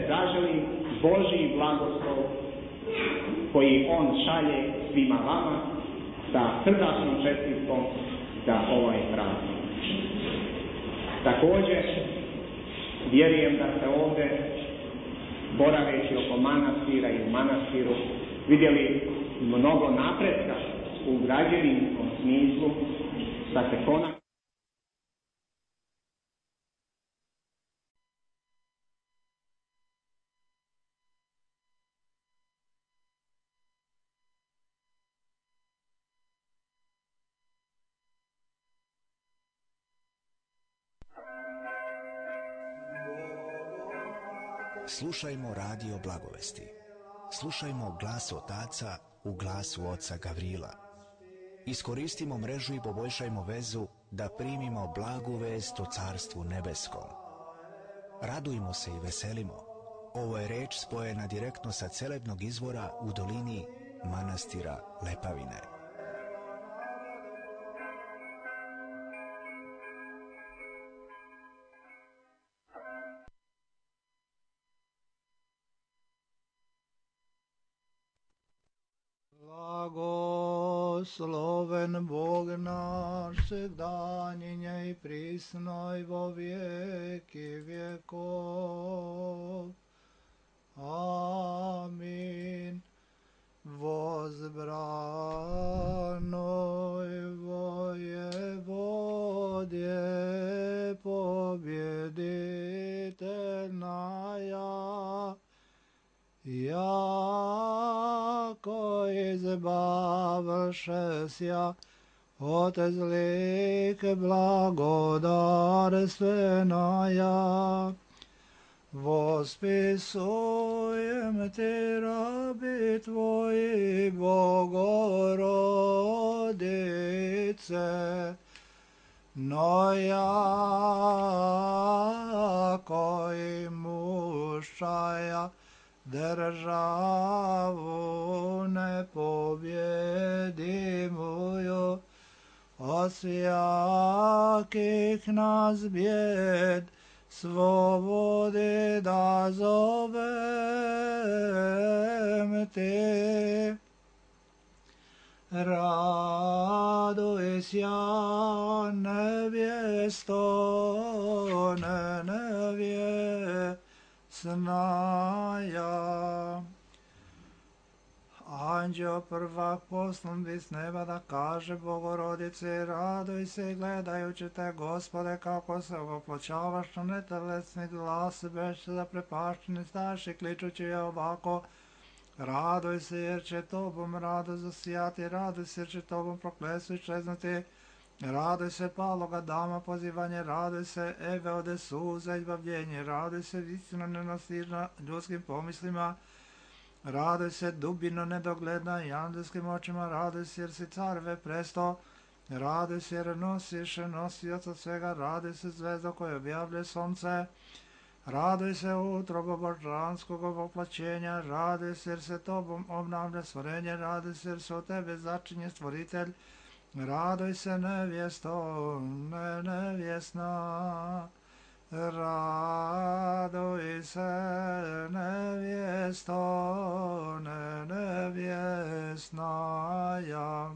zaželi Božji blagoslov koji On šalje svima vama sa srdačnom čestitkom za ovaj praznik. Također, vjerujem da ste ovdje, boraveći oko manastira i u manastiru, vidjeli mnogo napretka u građevinskom smislu, da se konačno Slušajmo radio Blagovesti. Slušajmo glas otaca u glasu oca Gavrila. Iskoristimo mrežu i poboljšajmo vezu da primimo blagu vest o Carstvu nebeskom. Radujmo se i veselimo. Ovo je reč spojena direktno sa celebnog izvora u dolini manastira Lepavine. Blagosloven Bog naš, sevdanjenje i prisno i vo vijeki vjekov. Amin. Возбранoj воеводje побjeditelnaja, jako izbavšesja od zlik blagodarstvenaja. Vospisujem ti rabi tvoji, Bogorodice, no jako i mušaja državu nepobjedimuju, od svjakih nas bjed svobode da zovem te. Raduj sja nevjesto, nevjesnaja. Anđeo prvak poslan bi s neba da kaže Bogorodice, raduj se gledajući te, Gospode, kako se opločavaš na netelesni glas, beš za prepašteni staš i kličući je ovako: raduj se jer će tobom rado zasijati, raduj se jer će tobom prokletstvo iščeznuti, raduj se paloga dama pozivanje, raduj se Eve ode suza izbavljenje, raduj se istina nenastižna ljudskim pomislima, raduj se dubino nedogledna i angelskim očima, raduj se jer si carve presto, raduj se jer nosiš nosioc od svega, raduj se zvezdo koje objavlje sunce, raduj se utrobo božanskog voplaćenja, raduj se jer se tobom obnavlja stvorenje, raduj se jer se od tebe začinje stvoritelj, raduj se nevjesto, nevjesna. Raduj se nevjesto, nevjesnaja.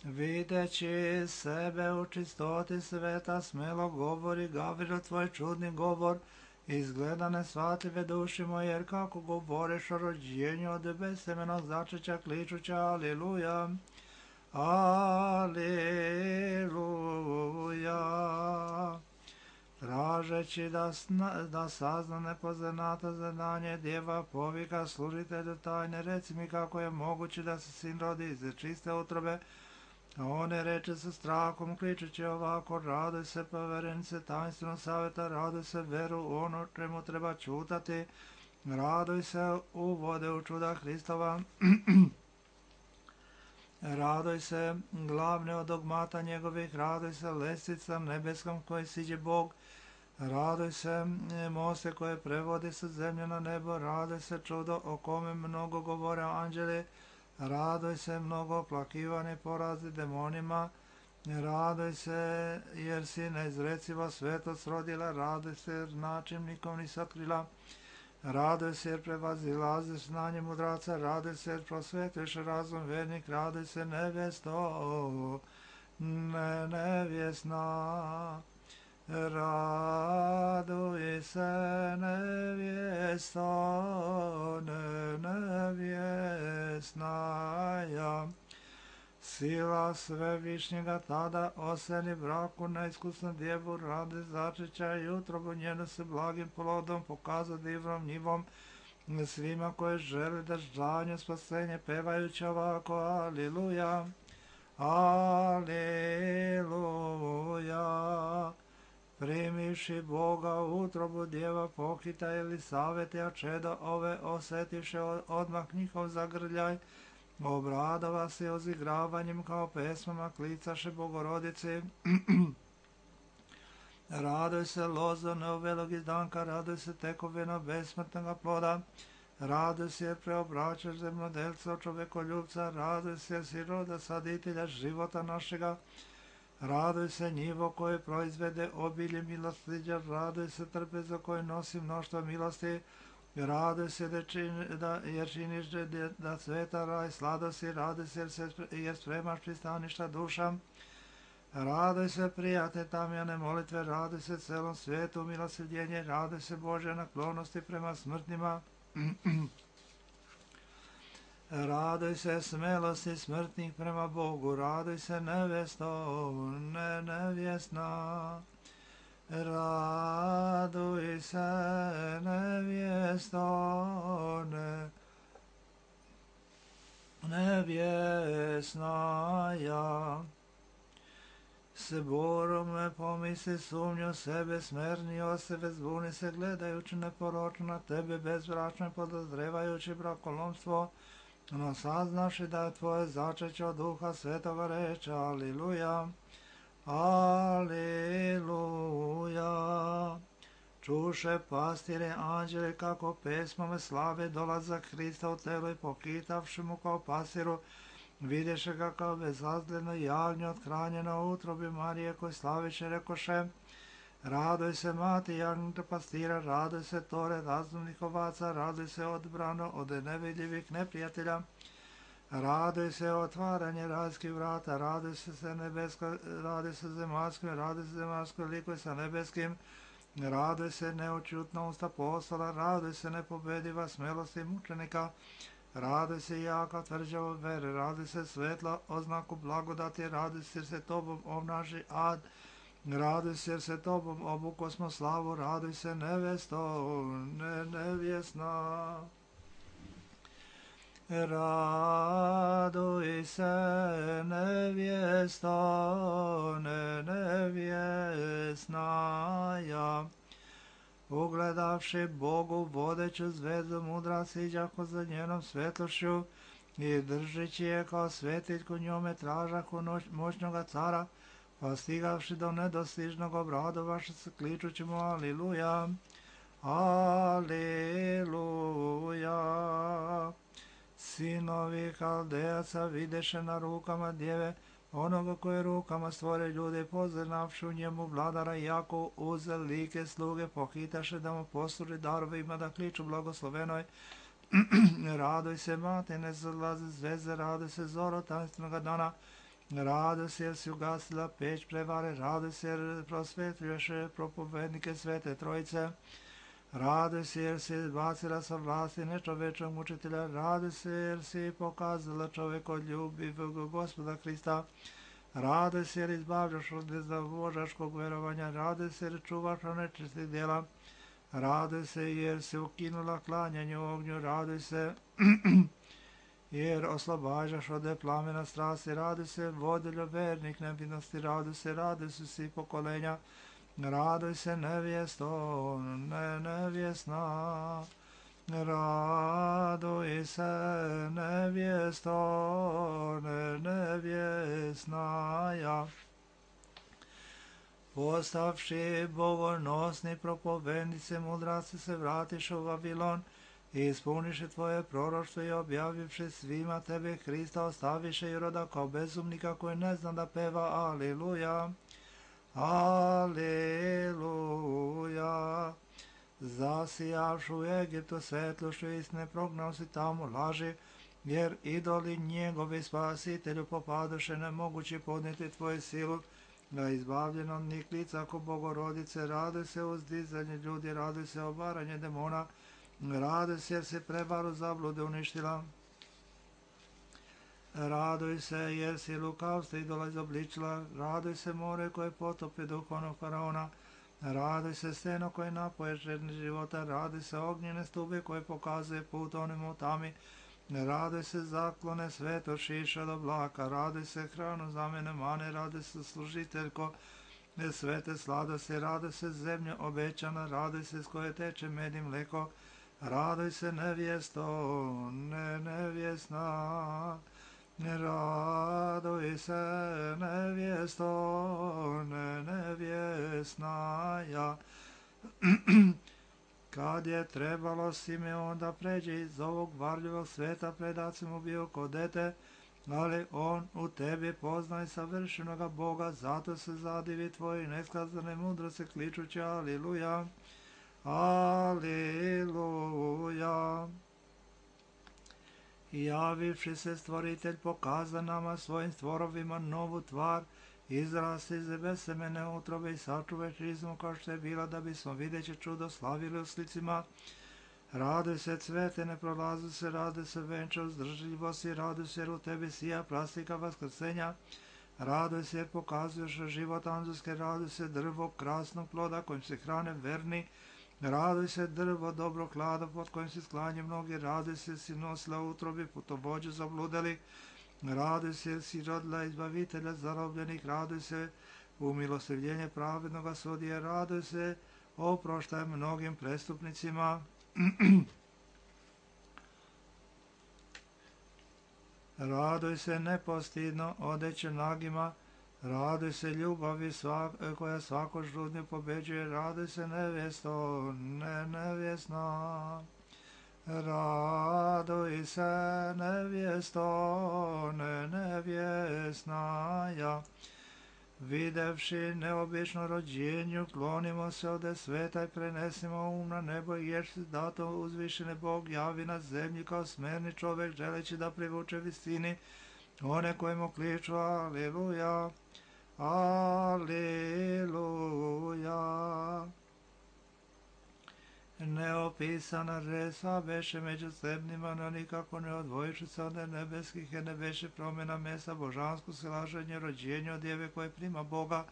Videći sebe u čistoti sveta, smelo govori Gavrilo tvoj čudni govor, izgleda nesvatljive duši moje, jer kako govoriš o rođenju od bezsemenog začeća, kličuća aliluja, aliluja. Tražeći da sazna nepoznato zadanje, djeva povika služitelju tajne, reci mi kako je moguće da se sin rodi iz čiste utrobe. A one reče sa strahom, kličući ovako: raduj se poverenice tajnstvenog savjeta, raduj se veru ono čemu treba čutati, raduj se uvode u čuda Hristova, raduj se glavne od dogmata njegovih, raduj se lestvica nebeskom koji siđe Bog, raduj se moste koje prevodi sa zemlje na nebo, raduj se čudo o kome mnogo govore anđeli, raduj se mnogo oplakivani porazi demonima, Radoj se, jer si neizreciva svetost rodila, radoj se, jer način nikom nisi otkrila. Radoj se, jer prevazilaziš znanje mudraca, radoj se, jer prosvetuješ razum vernik, radoj se, nevjesto, nevjesna. Radoj se, nevjesto, nevjesnaja. Sila svevišnjega tada oseni braku neiskusnu djevu radi začeća i utrobu njenu se blagim plodom pokaza divnom njivom svima koji žele da žanju spasenje pevajući ovako Aliluja, Aliluja. Primivši Boga u utrobu djeva pohita Elisavete, a čedo ove osetivše odmah njihov zagrljaj, obradova se ozigravanjem kao pesmama klicaše Bogorodice. Radoj se lozo neovelog izdanka, radoj se tekovina besmrtnoga ploda, radoj se jer preobraćaš zemljodelca od čovekoljubca, radoj se jer si roda saditelja života našega, radoj se njivo koje proizvede obilje milostiđa, radoj se trpeza koje nosi mnoštvo milosti, radoj se jer činiš da sveta raj sladosti, radoj se jer spremaš pristaništa duša, radoj se prijatne tamjane molitve, radoj se celom svijetu milosrdjenje, radoj se Božje naklonosti prema smrtnima, radoj se smelosti smrtnih prema Bogu, radoj se nevjesto, nevjesna. Raduj se, nevjesto, nevjesnaja. Se borome pomisli sumnju sebe, smerni o sebe, zbuni se gledajući neporočno na tebe, bezbračno podozrevajući brakolomstvo, no saznaši da je tvoje začeće od Duha Svetoga reče, Aliluja. Aleluja. Čuše pastire anđele kako pesmome slave dolazak Hrista u telo i pokitavši mu kao pasiru, vidješe ga kao bezazljeno jagnje othranjeno u utrobi Marije koji slaviše rekoše, radoj se mati jagnjeta pastira, radoj se tore razumnih ovaca, radoj se odbrano od nevidljivih neprijatelja, radoj se otvaranje rajskih vrata, radoj se nebesko, radoj se zemaljskim, radoj se zemaljskoj likoj sa nebeskim, radoj se neočutna usta postola, radoj se nepobediva smelosti mučenika, radoj se jaka tvrđava vere, radoj se svetla oznaku blagodati, radoj se jer se tobom obnaži ad, radoj se jer se tobom obuko smo slavu, radoj se nevjesto, nevjesna. Raduj se, nevjesto, nevjesnaja. Ugledavši Bogu vodeću zvezdu mudra siđako za njenom svetlošću i držeći je kao svetiljku njome tražaku moćnoga cara, pa stigavši do nedostižnog obradovaše se kličući mu Aliluja, Aliluja. Sinovi Haldejaca videše na rukama djeve onoga koje rukama stvore ljude, poznavši u njemu vladara jako uze like sluge, pohitaše da mu posluži darovima da kliču blagoslovenoj. Radoj se mate, ne zalaze zvezde, radoj se zoro tajnstvenog dana, radoj se jer si ugasila peć prevare, radoj se jer prosvetljuješ propovednike Svete Trojice, radoj se jer si bacila sa vlasti nečovečnog mučitelja, radoj se jer si pokazala čovekoljubivog Gospoda Hrista, radoj se jer izbavljaš od bezbožačkog verovanja, radoj se jer čuvaš od nečistih djela, radoj se jer si ukinula klanjanje u ognju, radoj se jer oslobađaš od plamena strasti, radoj se vodiljo vernih nevinosti, radoj se svi pokolenja, radoj se nevjesto, nevjesna, radoj se nevjesto, nevjesnaja. Postavši bogonosni propovednice mudraci se vratiš u Vavilon, I ispuniše tvoje proroštvo i objavivši svima tebe Hrista ostaviše i roda kao bezumnika koji ne zna da peva Aleluja. Aleluja. Zasijavšu u Egiptu svetlošću istine prognao si tamo laži, jer idoli njegovi spasitelju popadoše nemogući podnijeti tvoju silu, da izbavljeno od njih lica ko Bogorodice, raduj se uzdizanje ljudi, raduj se obaranje demona, raduj se jer si prevaru zablude uništila. Raduj se jer si lukavstvo idola izobličila, raduj se more koje potopi duhovnog faraona, raduj se steno koje napoje žedni života, raduj se ognjene stube koje pokazuje put onim u tami, raduj se zaklone sveto šiša do blaka, raduj se hranu za mene mane, raduj se služiteljko svete sladosti, raduj se zemlja obećana, raduj se s koje teče med i mleko, raduj se nevjesto, nevjesna, raduj se nevjesto, nevjesna ja. Kad je trebalo Simeon da pređe iz ovog varljivog sveta, predac mu bio ko dete, ali on u tebi poznaj savršenoga Boga, zato se zadivi tvoji neskazane mudrosti kličući Aleluja, Aleluja. Javivši se stvoritelj pokaza nama svojim stvorovima novu tvar, izrasti iz besemene utrobe i sačuvaj čizmu kao što je bila, da bismo videći čudo slavili u slicima. Raduj se cvete, ne prolazi se, raduj se venča uzdržljivosti, raduj se jer u tebi sija plastika vaskrsenja, raduj se jer pokazuješ život anđelske, raduj se drvo krasnog ploda kojim se hrane verni, raduj se drvo dobro klada pod kojim se sklanje mnogi, raduj se si nosila utrobi putovođu zabludeli, raduj se jer si rodila izbavitelja zarobljenih, raduj se umilostivljenje pravednoga sudije, raduj se oproštaj mnogim prestupnicima. Raduj se nepostidno odeće nagima, raduj se ljubavi koja svako žudnju pobeđuje, raduj se nevjesto, nevjesna. Raduj se nevjesto, nevjesna ja. Videvši neobično rođenju, klonimo se ode sveta i prenesimo um na nebo, jer se dato uzvišene Bog javi na zemlji kao smerni čovjek, želeći da privuče visini one kojemu kliču Aleluja, Aleluja. Neopisana resa beše među sebnima, no nikako ne odvojiši se od nebeskih, jer ne beše promjena mesa božansko silaženje rođenja od djeve koje prima Boga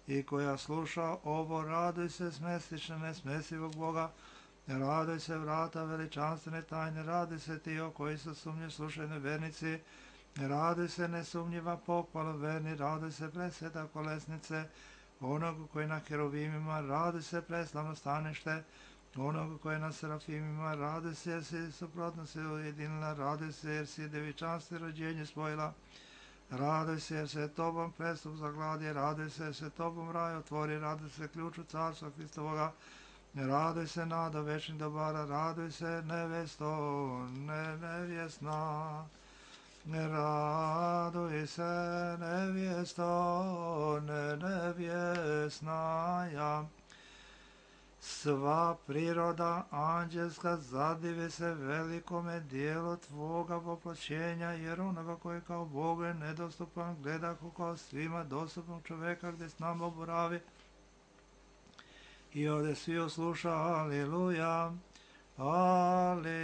i koja sluša ovo, raduj se smestične nesmesivog Boga, raduj se vrata veličanstvene tajne, raduj se ti o koji su sumnje slušajne vernici, raduj se nesumnjiva pohvala verni, raduj se presveta kolesnice onog koji na heruvimima, raduj se preslavno stanište onog koji na serafimima, raduj se jer si suprotno se ujedinila, raduj se jer si devičanstvo rođenje spojila, raduj se jer se tobom prestup zagladi, raduj se jer se tobom raj otvori, raduj se ključu carstva Hristovoga, raduj se nada večnih dobara, raduj se nevesto, nevjesna, raduj se nevjesto, nevjesna ja. Sva priroda anđelska zadivi se velikome dijelu tvoga voplćenja, jer onoga koji kao Bogu je nedostupan gleda kao svima dostupnog čoveka gdje s nama boravi. I ovdje svi osluša Aleluja, Aleluja.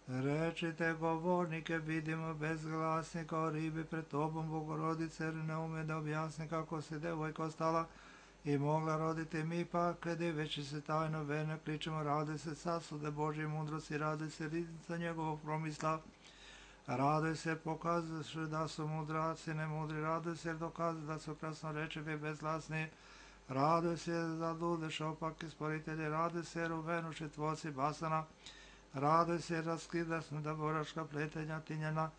Rečite govornike, vidimo bezglasni kao ribi pred tobom, Bogorodice, jer ne ume da objasni kako se devojka ostala i mogla roditi, mi pa diveći se tajno verne kličemo, raduj se sasude Božje mudrosti, raduj se riznica njegovog promisla, raduj se pokazuješ da su mudraci nemudri, raduj se jer dokazuju da su krasnorečivi bezglasni, raduj se jer zadudeš opaki sporitelji, raduj se jer uvenuši tvoci basana, raduj se jer raskidaš nedaboraška pletenja tinjena,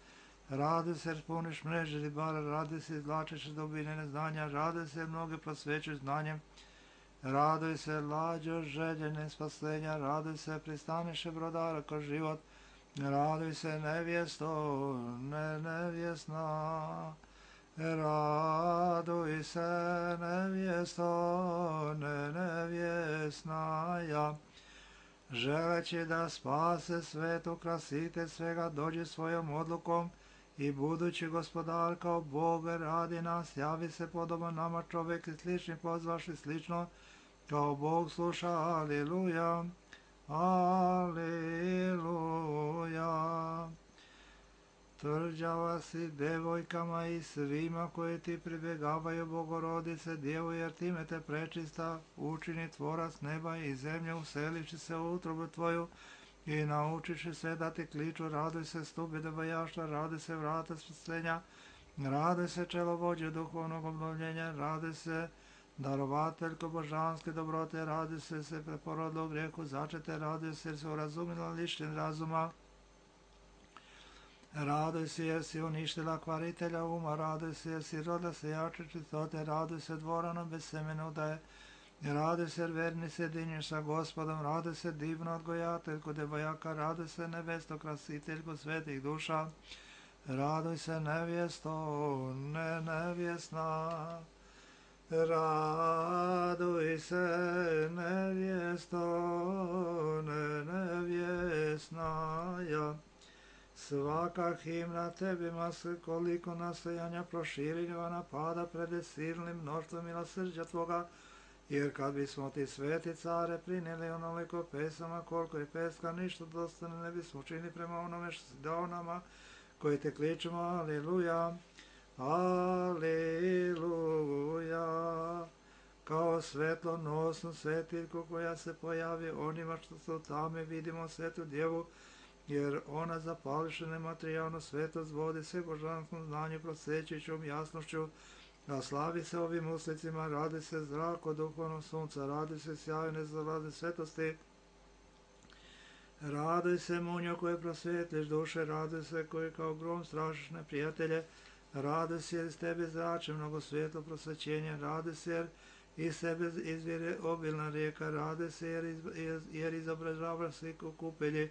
raduj se jer puniš mreže ribara, raduj se izvlačiš dubine neznanja, raduj se jer mnoge prosvećuš znanjem, Raduj se, lađo željene spasenja, raduj se, pristaniše brodara ko život, raduj se, nevjesto, nevjesna. Raduj se, nevjesto, nevjesna ja. Želeći da spase svet, ukrasite svega, dođi svojom odlukom i budući gospodar kao Bog radi nas, javi se podoban nama čovjek i slični pozvaši slično, kao Bog sluša, aleluja, aleluja. Tvrđava si devojkama i svima koji ti pribjegavaju, Bogorodice, Djevo, jer time te prečista učini tvorac neba i zemlje, uselivši se u utrobu tvoju i naučiši sve da ti kliču. Raduj se, stupi dobajaštva, raduj se, vrata spasenja, raduj se, čelovođe duhovnog obnovljenja, raduj se, darovateljko božanske dobrote, raduj se preporodilo grijehu začete, raduj se, jer se urazumila lišten razuma. Raduj se jer si uništila kvaritelja uma, raduj se jer si rodila se jače čistote, raduj se dvorano bez semena udaje, raduj se jer verni se dinješ sa Gospodom, raduj se divno odgojateljko devojaka, raduj se nevesto krasiteljko svetih duša, raduj se nevjesto, nevjesna, raduj se nevjesto, nevjesna ja. Svaka himna tebima koliko nastojanja proširenja napada pred silnim mnoštvom milosrđa tvoga, jer kad bismo ti sveti care prinijeli onoliko pesama koliko je peska, ništa dostane ne bismo učinili prema onome što si dao nama, koji te kličemo, aleluja, aleluja. Kao svetlonosnu svetiljku koja se pojavi onima što su tame, vidimo svetu djevu, jer ona zapališe nematerijalnu svetost, vodi se božanskom znanju prosvećujućom jasnošću, a slavi se ovim uslicima, radi se zrak od duhovnog sunca, radi se sjaj nezalazne svetosti, raduj se munjo koje prosvetliš duše, raduj se koji kao grom strašiš neprijatelje, raduj se jer iz tebe zrače mnogo svetlo prosvećenja, raduj se jer iz sebe izvire obilna rijeka, raduj se jer izobražavaš sliku kupelji,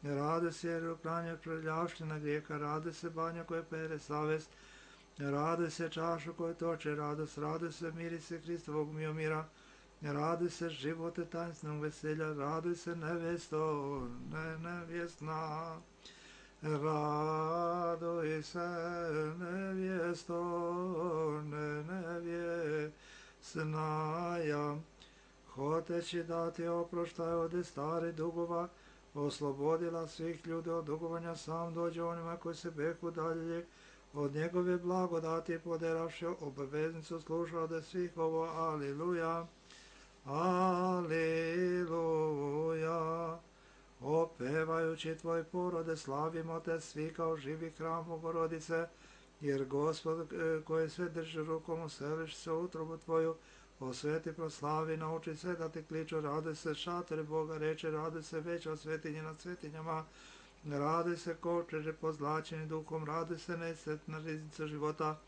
raduj se jer uklanjaš prljavština grijeha, raduj se banja koje pere savest, raduj se čašu koje toče radost, raduj se mirise Hristovog miomira, raduj se živote tajnstvenog veselja, raduj se nevesto, nevjesna, raduj se nevjesto, nevjesna ja. Hoteći da ti oproštaj od starih dugova, oslobodila svih ljudi od dugovanja, sam dođe onima koji se beku dalje od njegove blagodati, poderavši obaveznicu sluša od svih ovo, aleluja, aleluja. Opevajući tvoj porode, slavimo te svi kao živi hram Bogorodice, jer Gospod koji sve drži rukom, useliš se u utrobu tvoju, osveti, proslavi, nauči sve da ti kliču, raduj se šatori Boga reče, raduj se veća svetinja nad svetinjama, raduj se kočeže pozlačeni duhom, raduj se nesretna riznica života,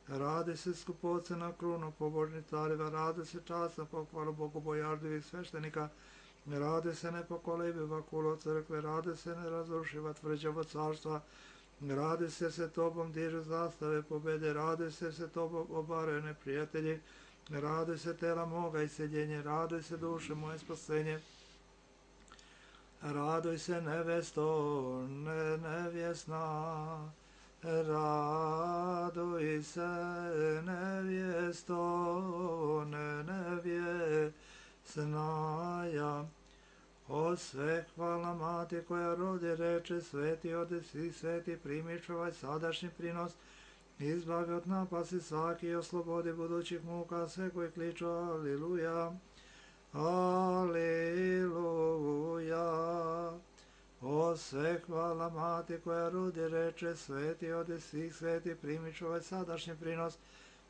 raduj se skupocena krunu pobožnih careva, raduj se časna pohvalu bogobojažljivih sveštenika, raduj se nepokolebiva kulo crkve, raduj se nerazrušiva tvrđavo carstva, raduj se tobom dižu zastave pobede, raduj se tobom obaraju neprijatelji, raduj se tela moga iseljenje, raduj se duše moje spasenje, raduj se nevesto, nevjesna, raduj se nevjesto, nevjesna ja. O sve hvala mati koja rodi reče, sveti odesi, sveti primiš ovaj sadašnji prinos, izbavi od napasti svaki i oslobodi budućih muka sve koji kliču, aleluja, aleluja. O sve hvala mati koja rodi reče, sveti odesi, sveti primiš ovaj sadašnji prinos,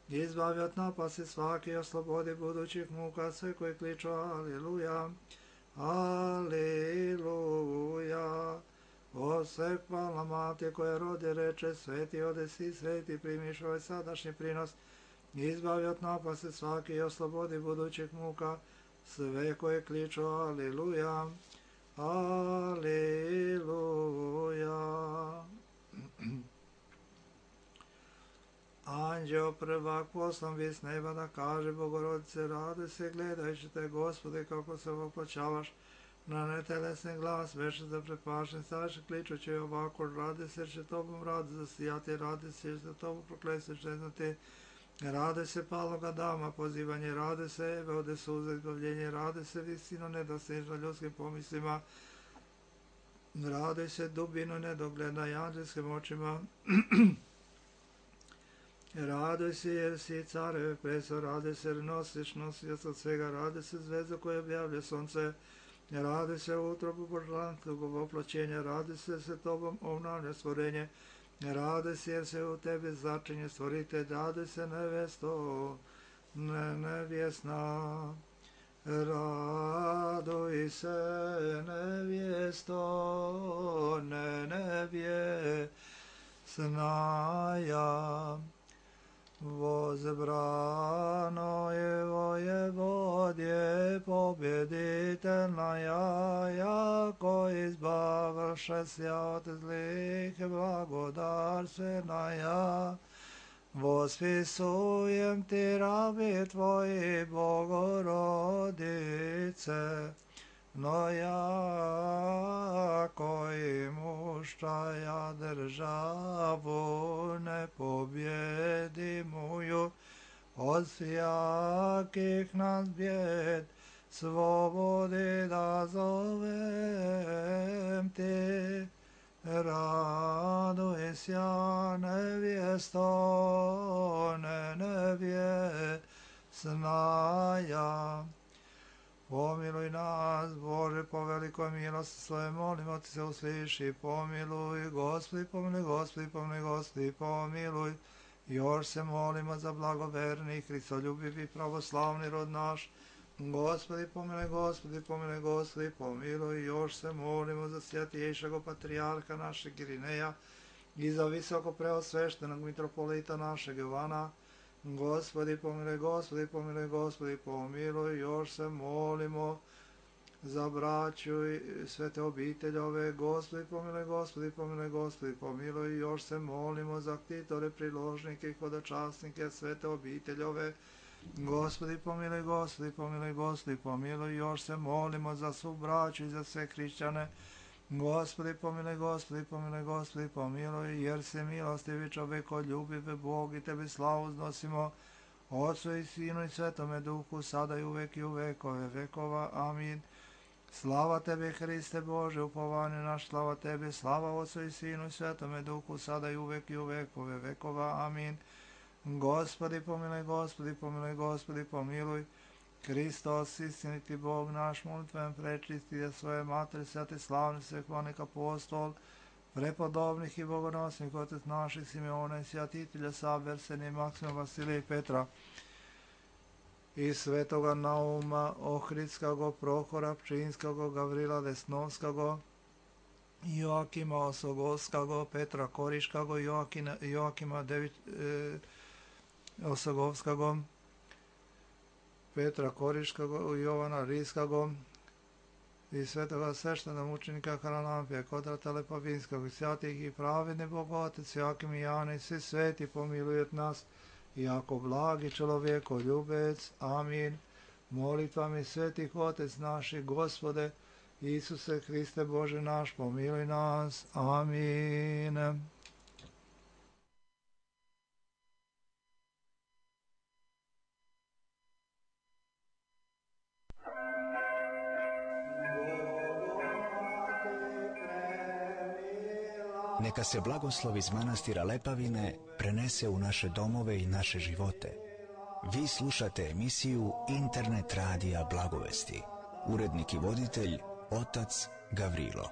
izbavi od napasti svaki i oslobodi budućih muka sve koji kliču, aleluja, aleluja. O sve hvala mati koja rodi reče, sveti odesi, sveti primiš ovaj sadašnji prinos, izbavi od napasti svaki i oslobodi budućih muka, sve koje kliču Aliluja, Aliluja. Anđeo prvak poslan bi s neba da kaže Bogorodice, raduj se gledajući te, Gospode, kako se opločavaš na netelesni glas, veše za prepašen staše, kličući ovako, radi se, jer će tobom radi zasijati, radi se, jer će tobom proklesti čeznati, radi se paloga dama, pozivanje, radi se, eve ode suza, izbavljenje, radi se, visino nedostižno ljudskim pomislima, radi se, dubinu nedogledna i anđelskim očima, raduj se jer si careve preso, raduj se jer nosiš nosioc od svega, raduj se zvezda koja objavlja sunce, raduj se utrobu božanskog oploćenja, raduj se tobom obnavlja stvorenje, raduj se jer se u tebi začinje stvoritelj, raduj se nevesto, nevjesna, raduj se nevjesto, nevjesnaja. Возбрано его Еводье победительная, яко избавившися от злых благодарственная. Восписуем ти, раби твои, Богородице, но яко имущая державу непобедимую от всяких нас бед, свободы да зовем ти. Радуйся, невесто, невесная. Помилуй нас, Боже, по великой милости Своей, молимо Ти се услыши, помилуй, Господи, помилуй, Господи, помилуй, Господи, помилуй. Još se molimo za blagoverni, Hristoljubivi, pravoslavni rod naš. Gospodi, pomilуj, Gospodi, pomilуj, Gospodi, pomilуj. Još se molimo za svjatiješeg patrijarha našeg Irineja i za visoko preosveštenog mitropolita našeg Jovana. Gospodi, pomilуj, Gospodi, pomilуj, Gospodi, pomilуj. Još se molimo za braću i svete obiteljove. Gospodi, pomilуj, Gospodi, pomilуj, Gospodi, pomilуj. Još se molimo za ktitore, priložnike i hodočasnike svete obiteljove. Gospodi, pomilуj, Gospodi, pomilуj, Gospodi, pomilуj. Još se molimo za svu braću i za sve hrišćane. Gospodi, pomilуj, Gospodi, pomilуj, Gospodi, pomilуj, jer se milostivi čovekoljubive Bog i Tebi slavu uznosimo, Otcu i Sinu i Svetome Duhu, sada i uvek i u vekove vekova. Amin. Slava Tebi, Hriste Bože, upovanje naš, slava Tebi, slava Otcu i Sinu i Svetome Duhu, sada i uvek i u vekove vekova. Amin. Gospodi, pomilуj, Gospodi, pomilуj, Gospodi, pomilуj. Hristos, istiniti Bog naš, molitven prečisti da svoje materi, sveti slavni svekonik apostol, prepodobnih i bogonosnih otec naših Simeona i svjatitelja Saverseni, Maksima, Vasilija i Petra, i svetoga Nauma, Ohridskog, Prohora, Pčinskog, Gavrila Lesnovskog, Joakima Osogovskog, Petra Koriškog, Joakima Osogovskog, Petra Koriškog, Jovana Rijskog i svetoga sveštena mučenika Haralampija, Kodrata Lepavinskog i svятih i pravedni Bogotec, Joakim i Jana i svi sveti pomilujet nas, jako blagi čovjeko ljubec. Amin. Molitvami svetih Otec naših, Gospode, Isuse Hriste Bože naš, pomiluj nas. Amin. Neka se blagoslov iz manastira Lepavine prenese u naše domove i naše živote. Vi slušate emisiju Internet radija Blagovesti. Urednik i voditelj otac Gavrilo.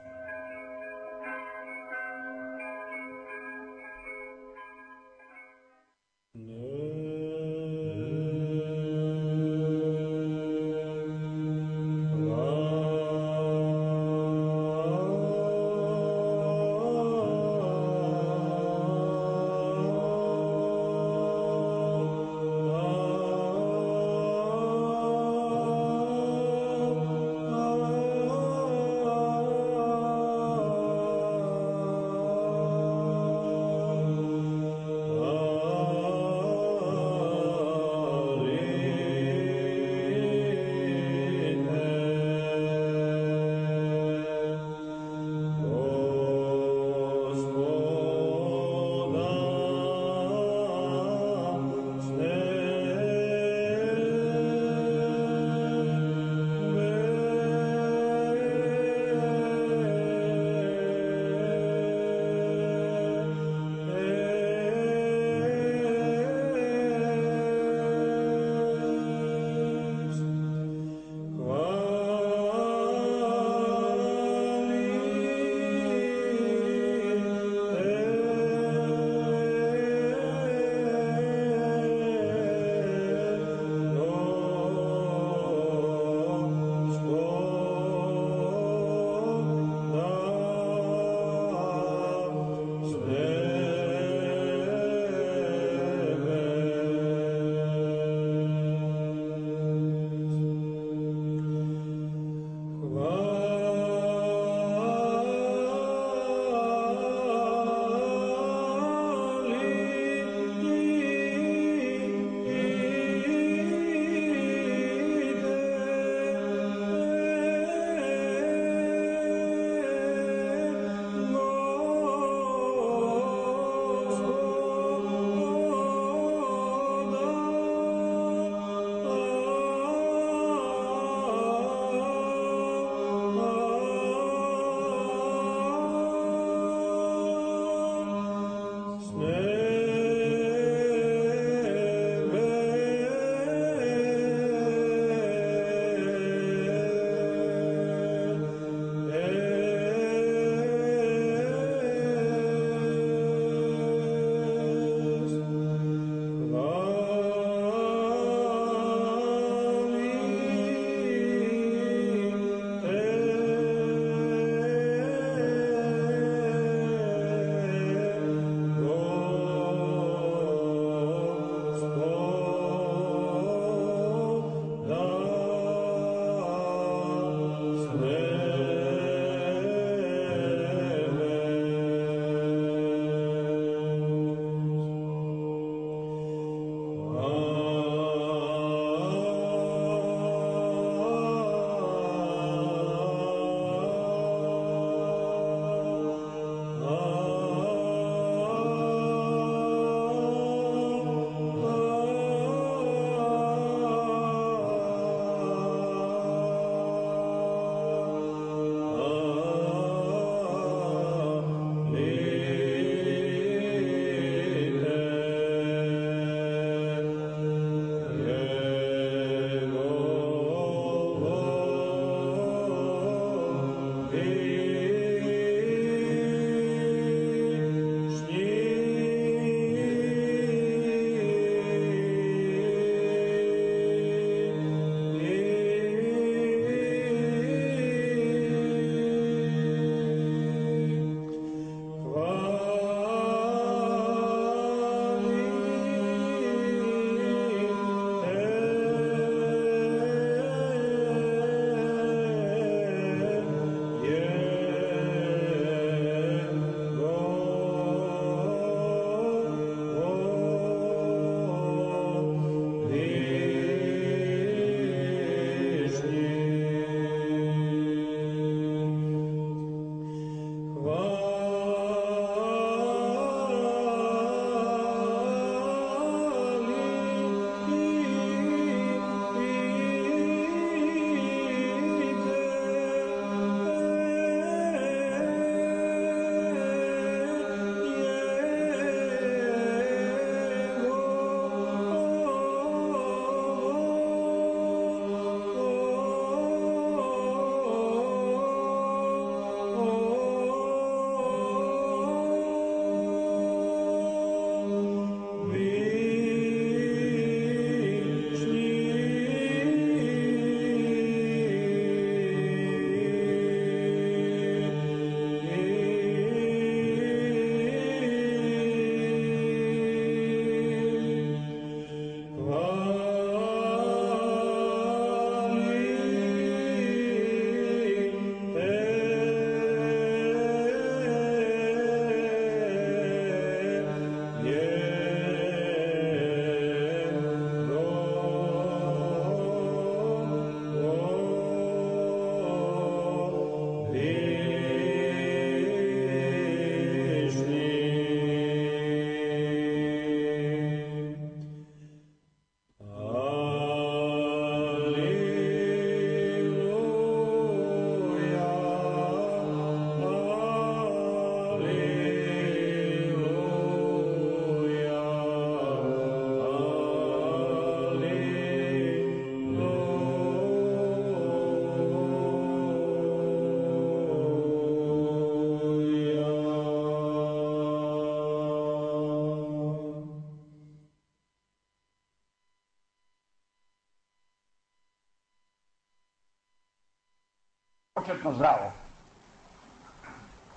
početno zdravo.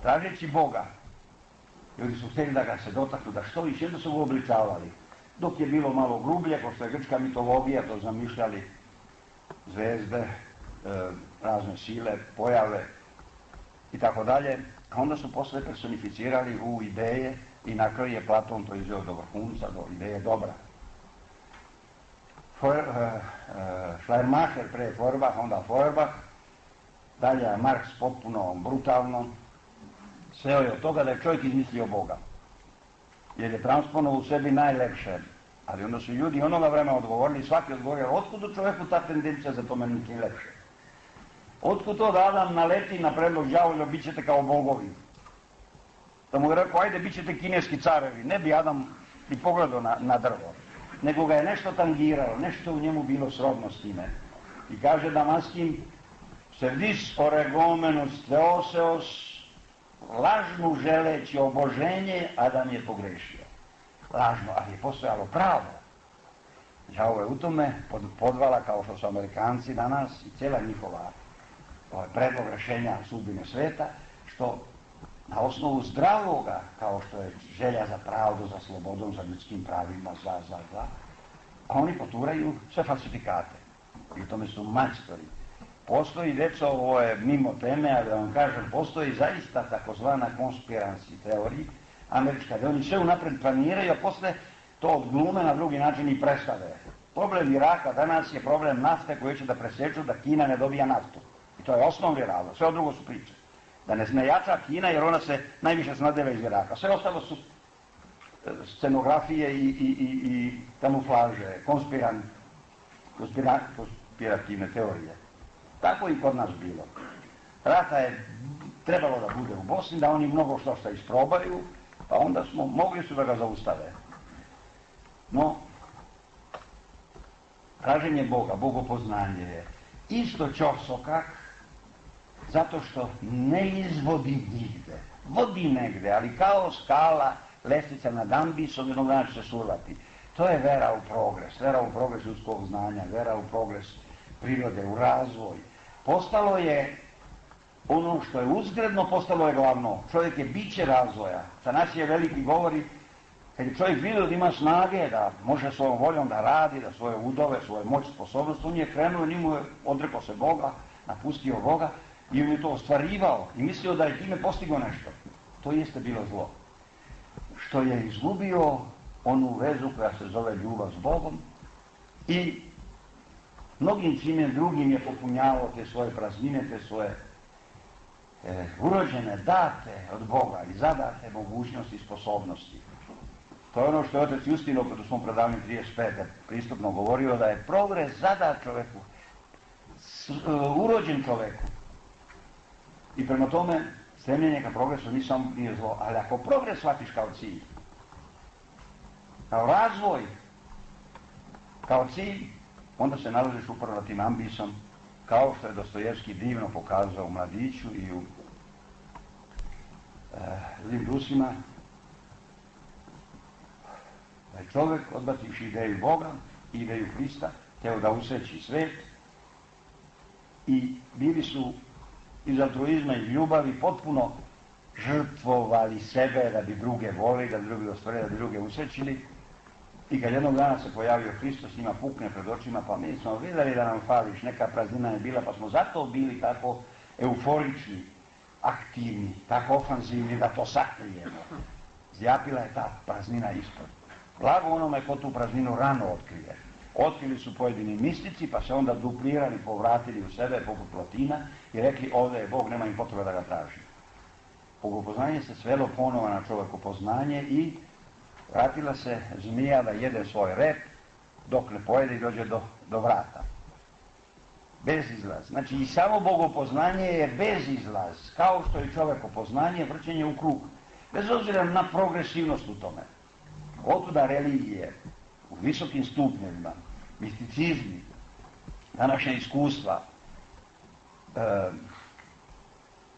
Tražeći Boga, ljudi su htjeli da ga se dotaknu, da što više, jedno su ga obličavali. Dok je bilo malo grublje, ko što je grčka mitologija, to zamišljali zvezde, razne sile, pojave i tako dalje. A onda su posle personificirali u ideje i na kraju je Platon to izveo do vrhunca, do ideje dobra. Schleiermacher pre Feuerbach, onda Feuerbach, dalje je Marx potpuno brutalno sveo je od toga da je čovjek izmislio Boga. Jer je transponovao u sebi najlepše. Ali onda su ljudi onoga vremena odgovorili, svaki odgovorio, otkud u čovjeku ta tendencija za to meni nije lepše? Otkud to da Adam naleti na predlog đavolja, bit ćete kao bogovi? Da mu je rekao, ajde, bit ćete kineski carevi. Ne bi Adam ni pogledao na drvo, nego ga je nešto tangiralo, nešto u njemu bilo srodno s time. I kaže Damaskin, servis oregomenus theoseos, lažnu želeći oboženje, Adam je pogrešio. Lažno, ali je postojalo pravo. Đavo je u tome podvala, kao što su Amerikanci danas i cijela njihova predlog rešenja sudbine sveta, što na osnovu zdravoga, kao što je želja za pravdu, za slobodom, za ljudskim pravima, a oni poturaju sve falsifikate. I u tome su majstori. Postoji, deco, ovo je mimo teme, ali da vam kažem, postoji zaista takozvana conspiracy teorija američka, da oni sve unapred planiraju, a posle to odglume na drugi način i predstave. Problem Iraka danas je problem nafte koju će da preseču da Kina ne dobija naftu. I to je osnovni razlog, sve od drugo su priče. Da ne jača Kina jer ona se najviše snadeva iz Iraka. Sve ostalo su scenografije i kamuflaže, konspirativne teorije. Tako i kod nas bilo. Rata je trebalo da bude u Bosni, da oni mnogo što isprobaju, pa onda mogli su da ga zaustave. No, traženje Boga, bogopoznanje je isto ćorsokak Zato što ne izvodi nigde. Vodi negde, ali kao skala, lestvica nad ambisom, jednog dana će se survati. To je vera u progres ljudskog znanja, vera u progres prirode, u razvoj. Postalo je ono što je uzgredno, postalo je glavno. Čovjek je biće razvoja. Za nas je veliki govori, kad je čovjek vidio da ima snage, da može svojom voljom da radi, da svoje udove, svoje moć, sposobnost, on je krenuo, njemu je odrekao se Boga, napustio Boga i on je to ostvarivao i mislio da je time postigao nešto. To jeste bilo zlo. Što je izgubio onu vezu koja se zove ljubav s Bogom i mnogim čime drugim je popunjavao te svoje praznine, te svoje urođene, date od Boga i zadate mogućnosti i sposobnosti. To je ono što je otac Justino u svom predavanju 35. pristupno govorio, da je progres zadat čoveku, urođen čoveku. I prema tome, stremljenje ka progresu nije zlo, ali ako progres shvatiš kao cilj, kao razvoj, kao cilj, onda se nalaziš upravo na tim ambisom, kao što je Dostojevski divno pokazao u Mladiću i u Zlim Rusima, da je čovjek, odbativši ideju Boga i ideju Hrista, teo da usreći svet i bili su iz altruizma i ljubavi potpuno žrtvovali sebe da bi druge volili, da bi druge ostvarili, da bi druge usrećili. I kad jednog dana se pojavio Hristos, njima pukne pred očima, pa mi smo vidjeli da nam fališ, neka praznina je bila, pa smo zato bili tako euforični, aktivni, tako ofanzivni da to sakrijemo. Zjapila je ta praznina ispod. Blago onome ko tu prazninu rano otkrije. Otkrili su pojedini mistici, pa se onda duplirali, povratili u sebe poput Plotina i rekli ovdje je Bog, nema im potrebe da ga traži. Bogopoznanje se svelo ponovo na čovekopoznanje i vratila se zmija da jede svoj rep dok ne pojede i dođe do vrata. Bezizlaz. Znači i samo bogopoznanje je bezizlaz, kao što je čovekopoznanje vrćenje u krug. Bez obzira na progresivnost u tome. Otuda religije u visokim stupnjevima, misticizmi, današnja iskustva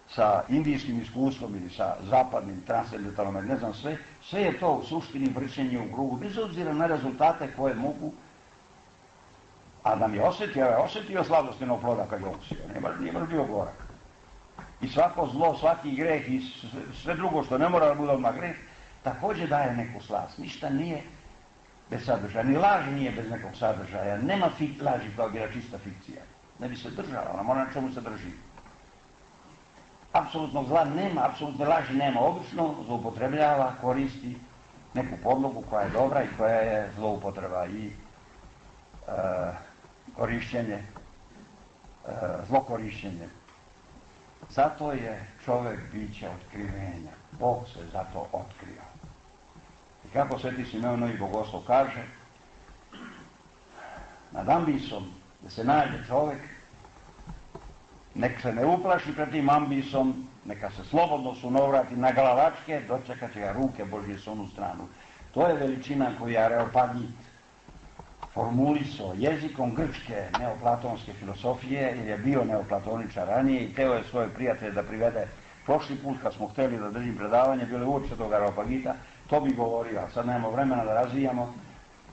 sa indijskim iskustvom ili sa zapadnim transcendentalnom, ne znam sve je to u suštini vrćenje u krugu, bez obzira na rezultate koje mogu, a da mi je osjetio sladostinog ploda kad je okusio, nije baš bio gorak. I svako zlo, svaki greh i sve drugo što ne mora da bude odmah greh, također daje neku slast. Ništa nije bez sadržaja, ni laž nije bez nekog sadržaja, nema laži kao bila čista fikcija. Ne bi se držala, ona mora na čemu se drži. Apsolutnog zla nema, apsolutne laži nema, obično zloupotrebljava, koristi neku podlogu koja je dobra i koja je zloupotreba i korišćenje, zlokorišćenje. Zato je čovjek biće otkrivenja. Bog se zato otkrio. I kako Sveti Simeon Novi Bogoslov kaže, nad ambisom da se nađe čovjek, nek se ne uplaši pred tim ambisom, neka se slobodno sunovrati na glavačke, dočekat će ga ruke Božje s onu stranu. To je veličina koju je Areopagit formulisao jezikom grčke neoplatonske filosofije, jer je bio neoplatoničar ranije i teo je svoje prijatelje da privede. Prošli put kad smo htjeli da držim predavanje, bilo je uopće tog Areopagita, to bi govorio, a sad nemamo vremena da razvijamo.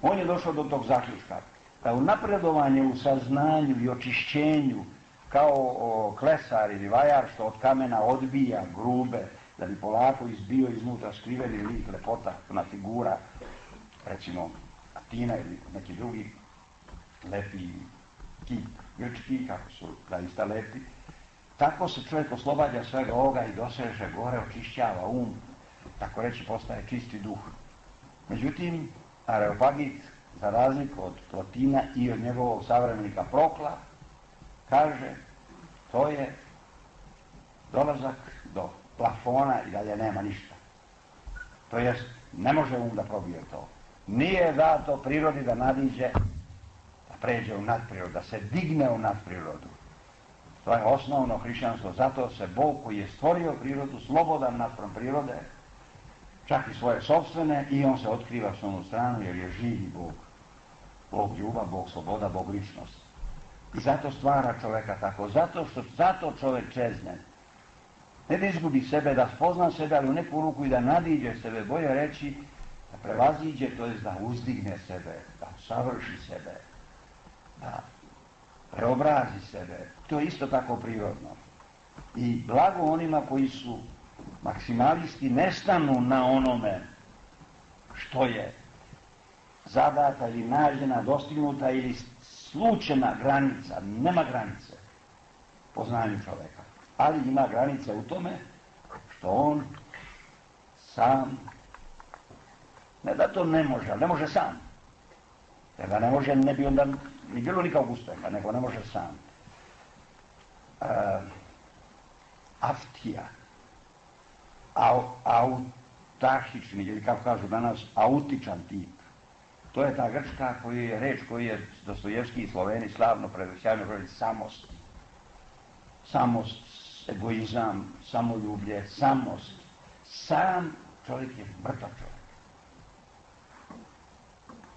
On je došao do tog zaključka, da u napredovanju, u saznanju i očišćenju, kao klesar ili vajar što od kamena odbija grube, da bi polako izbio iznutra skriveni lik, lepota, ona figura, recimo Atina ili neki drugi lepi kip grčki, kako su zaista lepi. Tako se čovjek oslobađa svega ovoga i doseže gore, očišćava um, tako reći postaje čisti duh. Međutim, Areopagit, za razliku od Plotina i od njegovog savremenika Prokla, kaže, to je dolazak do plafona i dalje nema ništa. To jest, ne može um da probije to. Nije dato prirodi da nadiđe, da pređe u nadprirodu, da se digne u nadprirodu. To je osnovno hrišćanstvo, zato se Bog koji je stvorio prirodu, slobodan naspram prirode, čak i svoje sopstvene, i on se otkriva s onu stranu jer je živi Bog. Bog ljubav, Bog sloboda, Bog ličnost. I zato stvara čoveka tako, zato čovek čezne. Ne da izgubi sebe, da spozna sebe, ali u neku ruku i da nadiđe sebe, bolje reći, da prevaziđe, to je da uzdigne sebe, da savrši sebe, da preobrazi sebe. To je isto tako prirodno. I blago onima koji su maksimalisti, ne stanu na onome što je zadata ili nađena, dostignuta ili slučena granica. Nema granice poznanju čoveka, ali ima granice u tome što on sam, ne da to ne može, ali ne može sam. Jer da ne može, ne bi onda ni bilo nikakvog uspeha, nego ne može sam. Aftija, autahični, ili kako kažu danas, autičan tip. To je ta grčka reč koju je Dostojevski i Sloveni slavno sjajno govorili, samost. Samost, egoizam, samoljublje, samost. Sam čovjek je mrtav čovjek.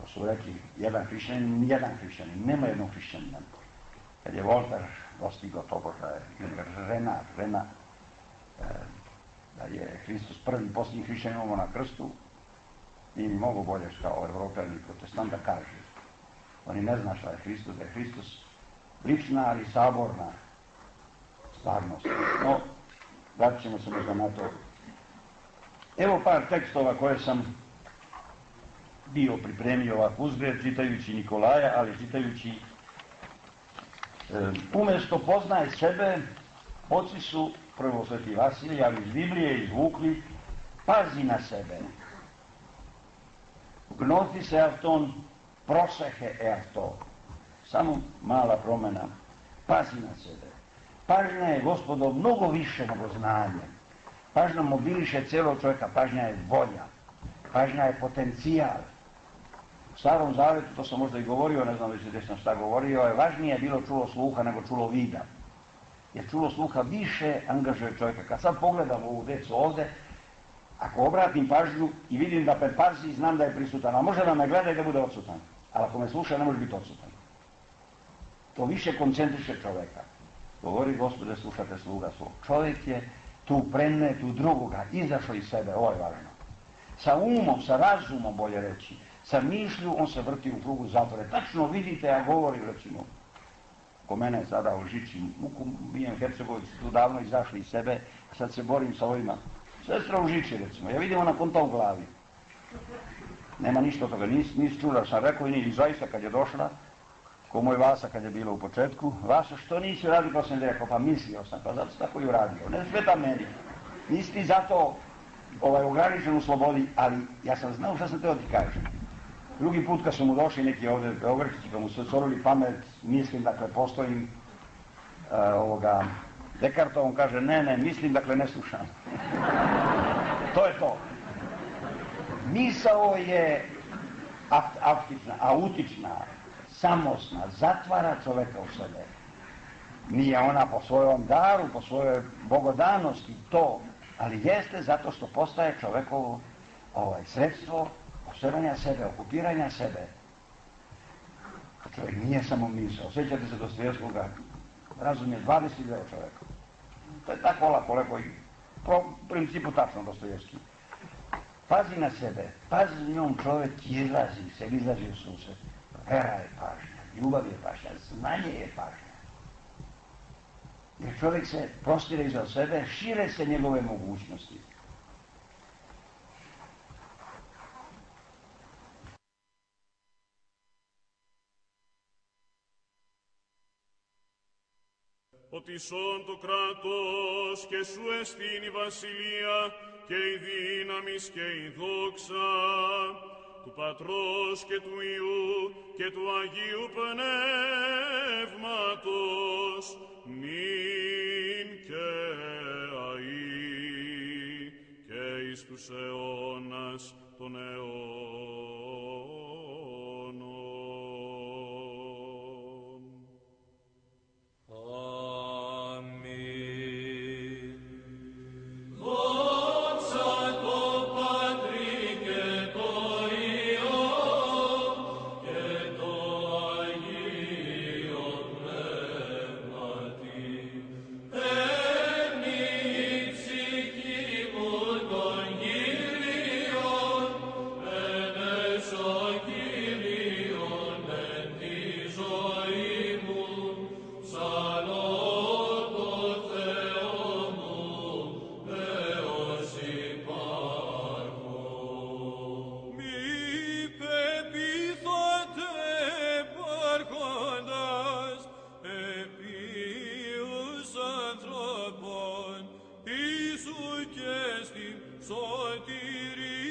To su rekli jedan hrišćanin, nema jednog hrišćanina. Kad je Voltaire dostigao tobože, Rena, da je Hristos prvi i posljednji hrišćanin ovo na krstu, i mnogo bolje kao Evropljani protestant da kaže. Oni ne zna šta je Hristos, da je Hristos lična, ali saborna stvarnost. No, vratit ćemo se možda na to. Evo par tekstova koje sam bio pripremio ovako uzgled, čitajući Nikolaja, ali čitajući umjesto poznaj sebe, oci su, prvo sveti Vasilij, ali iz Biblije izvukli, pazi na sebe. Gnoti se avton, prosehe eavto. Samo mala promjena. Pazi na sebe. Pažnja je, Gospodo, mnogo više nego znanje. Pažnja mobiliše cijelog čovjeka, pažnja je volja. Pažnja je potencijal. U Starom Zavetu, to sam možda i govorio, ne znam već gdje sam šta govorio, je važnije bilo čulo sluha nego čulo vida. Jer čulo sluha više angažuje čovjeka. Kad sad pogledam ovu djecu ovdje, ako obratim pažnju i vidim da me pazi, znam da je prisutan, a može da me gleda i da bude odsutan. Ali ako me sluša, ne može biti odsutan. To više koncentriše čovjeka. Govori, Gospode, slušate sluga svog. Čovjek je tu prenne, tu drugoga, izašao iz sebe, ovo je važno. Sa umom, sa razumom, bolje reći, sa mišlju, on se vrti u krugu zatvore. Tačno vidite, ja govorim, recimo, ko mene sada u Žiči, muku bijem Hercegović, tu davno izašli iz sebe, sad se borim sa ovima. Sestra u Žiči, recimo, ja vidim ona konta u glavi. Nema ništa od toga, nisi čula, sam rekao i zaista kad je došla, ko moj Vasa kad je bilo u početku, Vasa, što nisi uradio, pa sam rekao, pa mislio sam, pa zato sam tako i uradio, ne sveta meni. Nisi ti zato ograničen u slobodi, ali ja sam znao šta sam teo ti kažem. Drugi put kad su mu došli neki ovdje Beogradići, kad mu se otvorili pamet, mislim, dakle, postojim Dekartov, on kaže, ne, mislim, dakle, ne slušam. To je to. Misao je autična, samosna, zatvara čoveka u sebe. Nije ona po svojom daru, po svojoj bogodanosti, to, ali jeste zato što postaje čovekovo sredstvo posebanja sebe, okupiranja sebe. Čovjek nije samo misao. Sjećate se Dostojevskoga, razum je 22 čovjeka. To je tako lako i po principu tačno Dostojevski. Pazi na sebe, pazi njom čovjek izlazi u susret. Vera je pažnja, ljubav je pažnja, znanje je pažnja. Jer čovjek se prostire iza sebe, šire se njegove mogućnosti. Ότι σών το κράτος και σου εστίν η βασιλεία και η δύναμις και η δόξα του Πατρός και του Υιού και του Αγίου Πνεύματος νυν και αεί και εις τους αιώνας των αιώνων. Amen. σου και στην σωτηρία.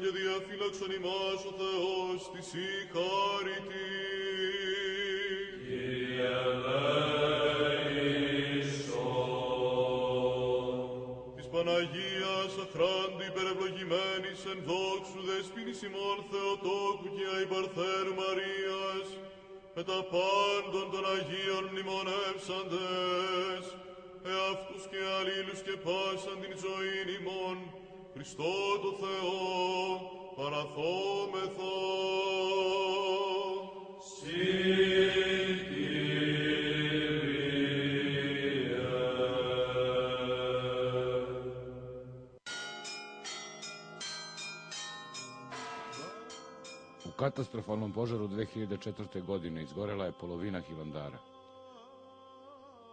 και διαφύλαξον ημάς ο Θεός της η χάρητη. Κύριε ελέησον. Της Παναγίας αχράντη υπερευλογημένης εν δόξου δεσποίνης ημών Θεοτόκου και αϊπαρθέρου Μαρίας, με τα πάντων των Αγίων μνημονεύσαντες, εαυτούς και αλλήλους και πάσαν την ζωήν ημών, Χριστό το Θεό, παραθόμεθα. U katastrofalnom požaru 2004. godine izgorela je polovina Hilandara.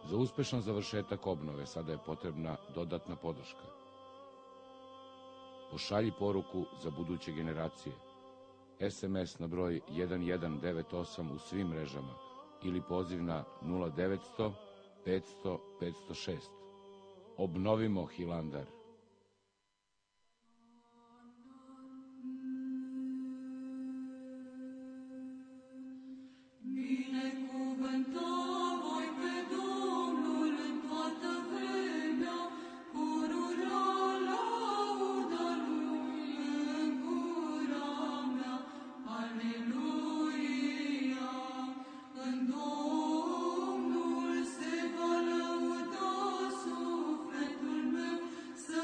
Za uspešan završetak obnove sada je potrebna dodatna podrška. Pošalji poruku za buduće generacije. SMS na broj 1198 u svim mrežama ili poziv na 0900 500 506. Obnovimo Hilandar. Să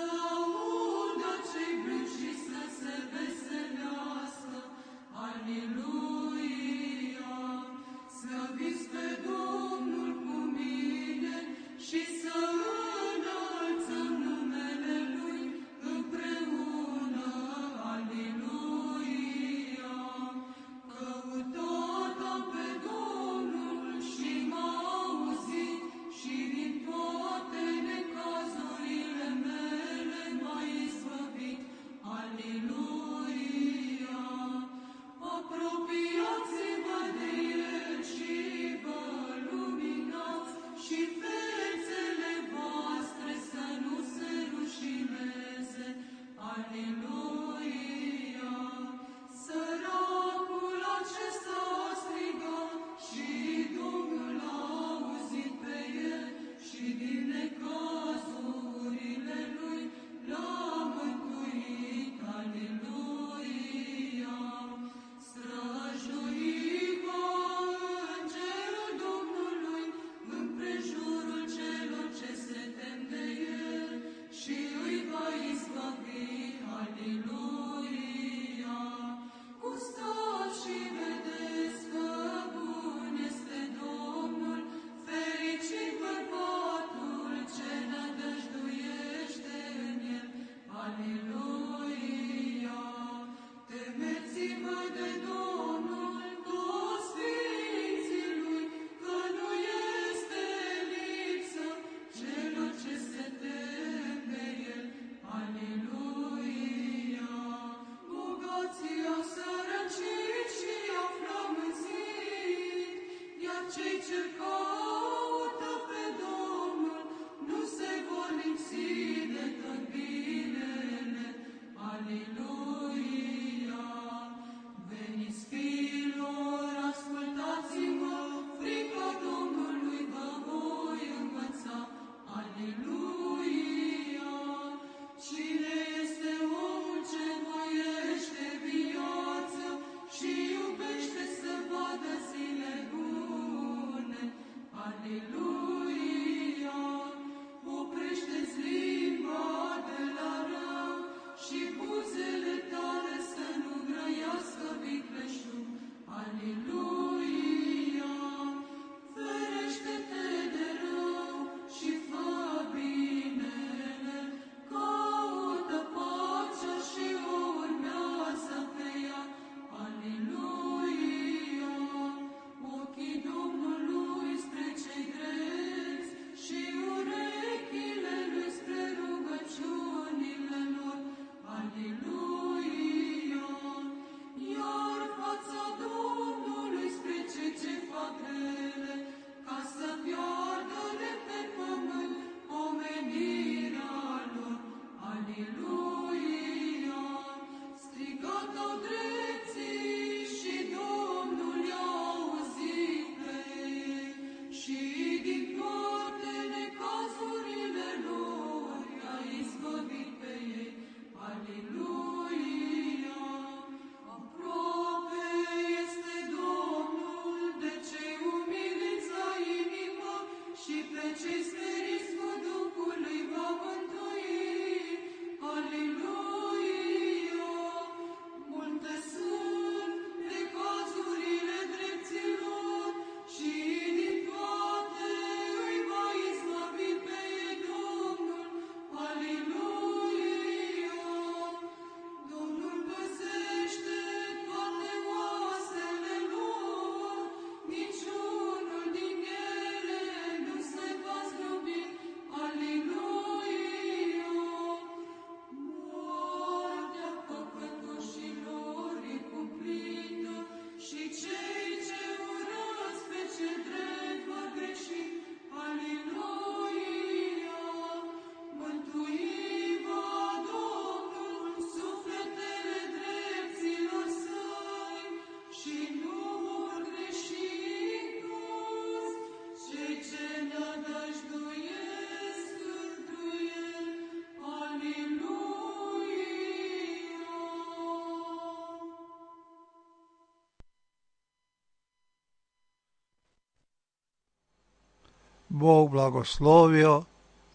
Bog blagoslovio,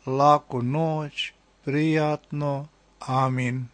laku noć, prijatno, amin.